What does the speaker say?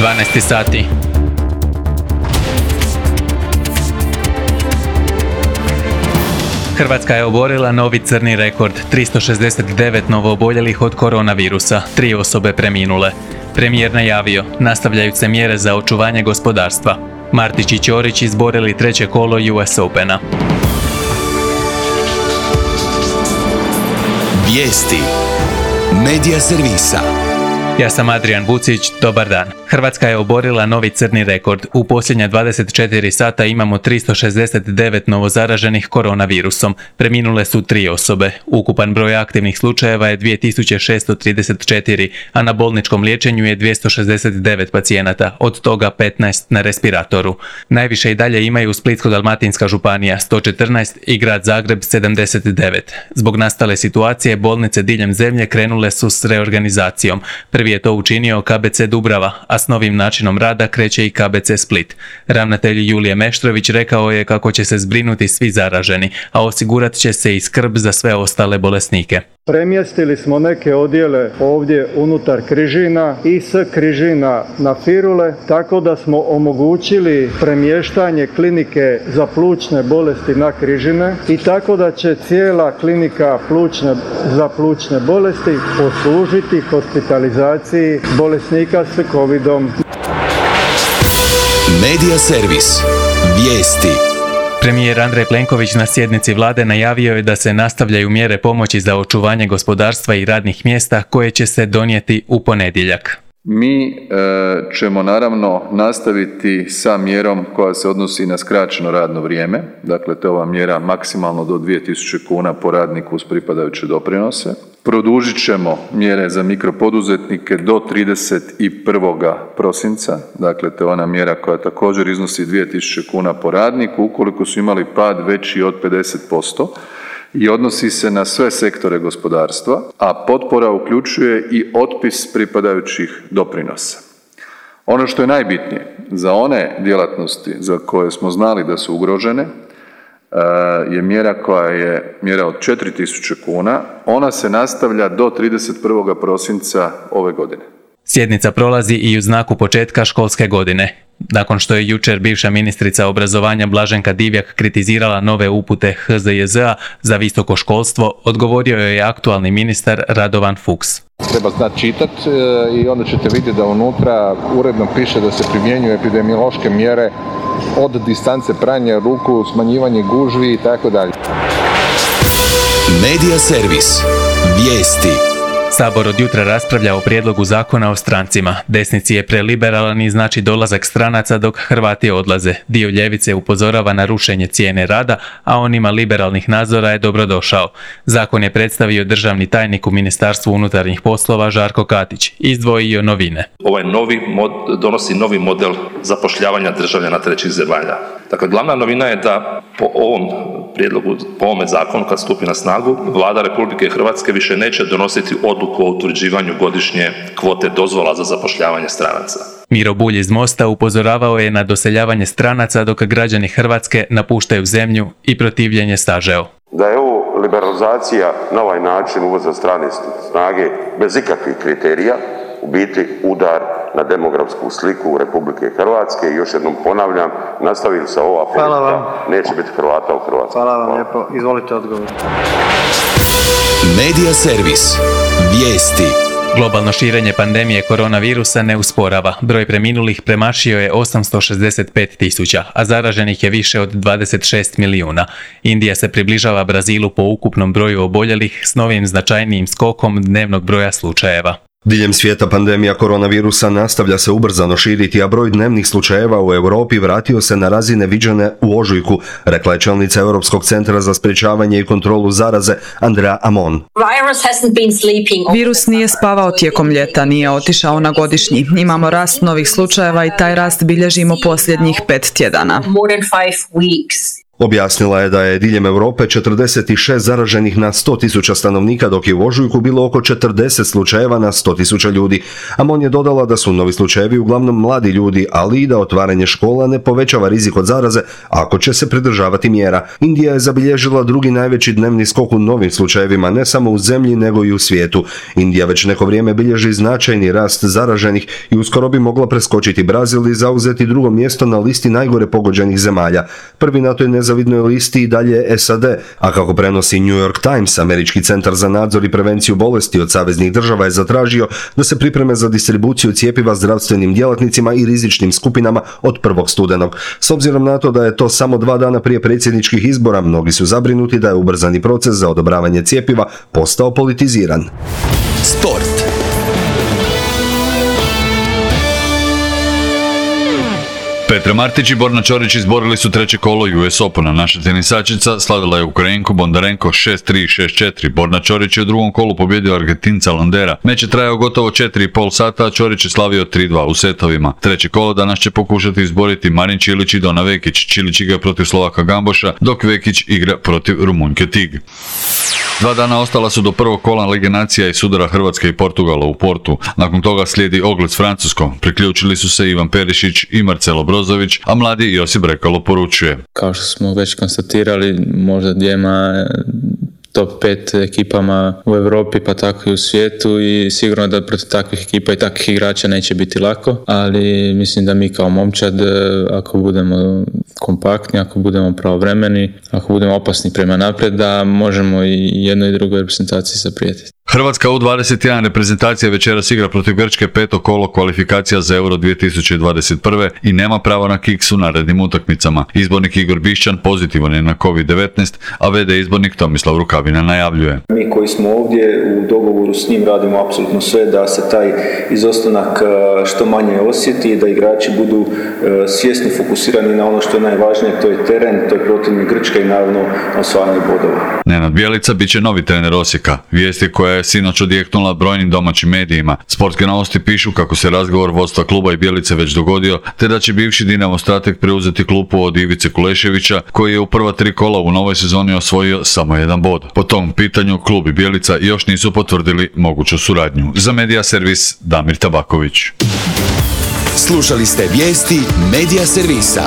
12 sati. Hrvatska je oborila novi crni rekord, 369 novooboljelih od koronavirusa, 3 osobe preminule. Premijer najavio, nastavljaju se mjere za očuvanje gospodarstva. Martić i Ćorić izborili 3. kolo US Opena. Vijesti Medija servisa. Ja sam Adrian Vucić, dobar dan. Hrvatska je oborila novi crni rekord. U posljednja 24 sata imamo 369 novozaraženih koronavirusom. Preminule su 3 osobe. Ukupan broj aktivnih slučajeva je 2634, a na bolničkom liječenju je 269 pacijenata, od toga 15 na respiratoru. Najviše i dalje imaju Splitsko-dalmatinska županija 114 i grad Zagreb 79. Zbog nastale situacije bolnice diljem zemlje krenule su s reorganizacijom. Prvi je to učinio KBC Dubrava, a s novim načinom rada kreće i KBC Split. Ravnatelj Julije Meštrović rekao je kako će se zbrinuti svi zaraženi, a osigurat će se i skrb za sve ostale bolesnike. Premjestili smo neke odjele ovdje unutar Križina i s Križina na Firule, tako da smo omogućili premještanje klinike za plućne bolesti na Križine i tako da će cijela klinika za plućne bolesti poslužiti hospitalizaciji bolesnika s covidom. Medija servis. Vijesti. Premijer Andrej Plenković na sjednici vlade najavio je da se nastavljaju mjere pomoći za očuvanje gospodarstva i radnih mjesta koje će se donijeti u ponedjeljak. Mi ćemo naravno nastaviti sa mjerom koja se odnosi na skraćeno radno vrijeme, dakle to je ova mjera maksimalno do 2000 kuna po radniku uz pripadajuće doprinose. Produžit ćemo mjere za mikropoduzetnike do 31. prosinca, dakle to je ona mjera koja također iznosi 2000 kuna po radniku ukoliko su imali pad veći od 50%. I odnosi se na sve sektore gospodarstva, a potpora uključuje i otpis pripadajućih doprinosa. Ono što je najbitnije za one djelatnosti za koje smo znali da su ugrožene je mjera koja je mjera od 4.000 kuna. Ona se nastavlja do 31. prosinca ove godine. Sjednica prolazi i u znaku početka školske godine. Nakon što je jučer bivša ministrica obrazovanja Blaženka Divjak kritizirala nove upute HZJZ-a za visoko školstvo, odgovorio je aktualni ministar Radovan Fuchs. Treba znati čitati i onda ćete vidjeti da unutra uredno piše da se primjenjuju epidemiološke mjere od distance pranja ruku, smanjivanje gužvi i tako dalje. Medija servis. Vijesti. Sabor od jutra raspravlja o prijedlogu zakona o strancima. Desnici je preliberalan i znači dolazak stranaca dok Hrvati odlaze. Dio ljevice upozorava na rušenje cijene rada, a onima liberalnih nadzora je dobrodošao. Zakon je predstavio državni tajnik u Ministarstvu unutarnjih poslova Žarko Katić. Izdvojio novine. Ovaj donosi novi model zapošljavanja državljana trećih zemalja. Dakle, glavna novina je da po ovom prijedlogu, po ovome zakonu kad stupi na snagu, Vlada Republike Hrvatske više neće donositi odluku o utvrđivanju godišnje kvote dozvola za zapošljavanje stranaca. Miro Bulj iz Mosta upozoravao je na doseljavanje stranaca dok građani Hrvatske napuštaju zemlju i protivljenje sažeo. Da je ovo liberalizacija na ovaj način uvoza strane snage bez ikakvih kriterija, u biti udar na demografsku sliku Republike Hrvatske i još jednom ponavljam, nastavili se ova politika, neće biti Hrvata u Hrvatskoj. Hvala vam lijepo, izvolite odgovor. Medija servis. Vijesti. Globalno širenje pandemije koronavirusa ne usporava. Broj preminulih premašio je 865.000, a zaraženih je više od 26 milijuna. Indija se približava Brazilu po ukupnom broju oboljelih s novim značajnijim skokom dnevnog broja slučajeva. Diljem svijeta pandemija koronavirusa nastavlja se ubrzano širiti, a broj dnevnih slučajeva u Europi vratio se na razine viđene u ožujku, rekla je čelnica Europskog centra za sprječavanje i kontrolu zaraze Andrea Amon. Virus nije spavao tijekom ljeta, nije otišao na godišnji. Imamo rast novih slučajeva i taj rast bilježimo posljednjih 5 tjedana. Objasnila je da je diljem Europe 46 zaraženih na 100.000 stanovnika, dok je u ožujku bilo oko 40 slučajeva na 100.000 ljudi. Amon je dodala da su novi slučajevi uglavnom mladi ljudi, ali i da otvaranje škola ne povećava rizik od zaraze ako će se pridržavati mjera. Indija je zabilježila drugi najveći dnevni skok u novim slučajevima, ne samo u zemlji nego i u svijetu. Indija već neko vrijeme bilježi značajni rast zaraženih i uskoro bi mogla preskočiti Brazil i zauzeti drugo mjesto na listi najgore pogođenih zemalja. Prvi na toj nezavidnoj listi i dalje je SAD, a kako prenosi New York Times, Američki centar za nadzor i prevenciju bolesti od saveznih država je zatražio da se pripreme za distribuciju cjepiva zdravstvenim djelatnicima i rizičnim skupinama od 1. studenog. S obzirom na to da je to samo 2 dana prije predsjedničkih izbora, mnogi su zabrinuti da je ubrzani proces za odobravanje cjepiva postao politiziran. Sport. Petra Martić i Borna Ćorić izborili su treće kolo US Opena. Naša tenisačica slavila je Ukrajinku Bondarenko 6-3 i 6-4. Borna Ćorić je u drugom kolu pobjedio Argentinca Landera. Meč je trajao gotovo 4,5 sata, a Ćorić je slavio 3-2 u setovima. Treće kolo danas će pokušati izboriti Marin Čilić i Dona Vekić. Čilić igra protiv Slovaka Gamboša, dok Vekić igra protiv Rumunjke Tig. 2 dana ostala su do prvog kola Lige nacija i sudara Hrvatske i Portugala u Portu. Nakon toga slijedi Ogled s Francuskom. Priključili su se Ivan Perišić i Marcelo Brozović, a mladi Josip Brekalo poručuje. Kao što smo već konstatirali, možda dvijema top 5 ekipama u Europi pa tako i u svijetu i sigurno da protiv takvih ekipa i takvih igrača neće biti lako, ali mislim da mi kao momčad, ako budemo kompaktni, ako budemo pravovremeni, ako budemo opasni prema naprijed, da možemo i jednoj i drugoj reprezentaciji zaprijetiti. Hrvatska U21 reprezentacija večeras igra protiv Grčke 5. kolo kvalifikacija za Euro 2021. i nema pravo na kiks u narednim utakmicama. Izbornik Igor Bišćan pozitivan je na COVID-19, a VD izbornik Tomislav Rukavina najavljuje. Mi koji smo ovdje u dogovoru s njim radimo apsolutno sve da se taj izostanak što manje osjeti i da igrači budu svjesni, fokusirani na ono što je najvažnije, to je teren, to je protivnik Grčke i naravno osvajanje bodova. Nenad Bjelica bit će novi trener Osijeka. Vijesti koja je sinoć odjeknula brojnim domaćim medijima. Sportske novosti pišu kako se razgovor vodstva kluba i Bjelice već dogodio, te da će bivši Dinamo strateg preuzeti klupu od Ivice Kuleševića, koji je u prva 3 kola u novoj sezoni osvojio samo 1 bod. Po tom pitanju klub i Bjelica još nisu potvrdili moguću suradnju. Za Medija Servis Damir Tabaković. Slušali ste vijesti Medija Servisa.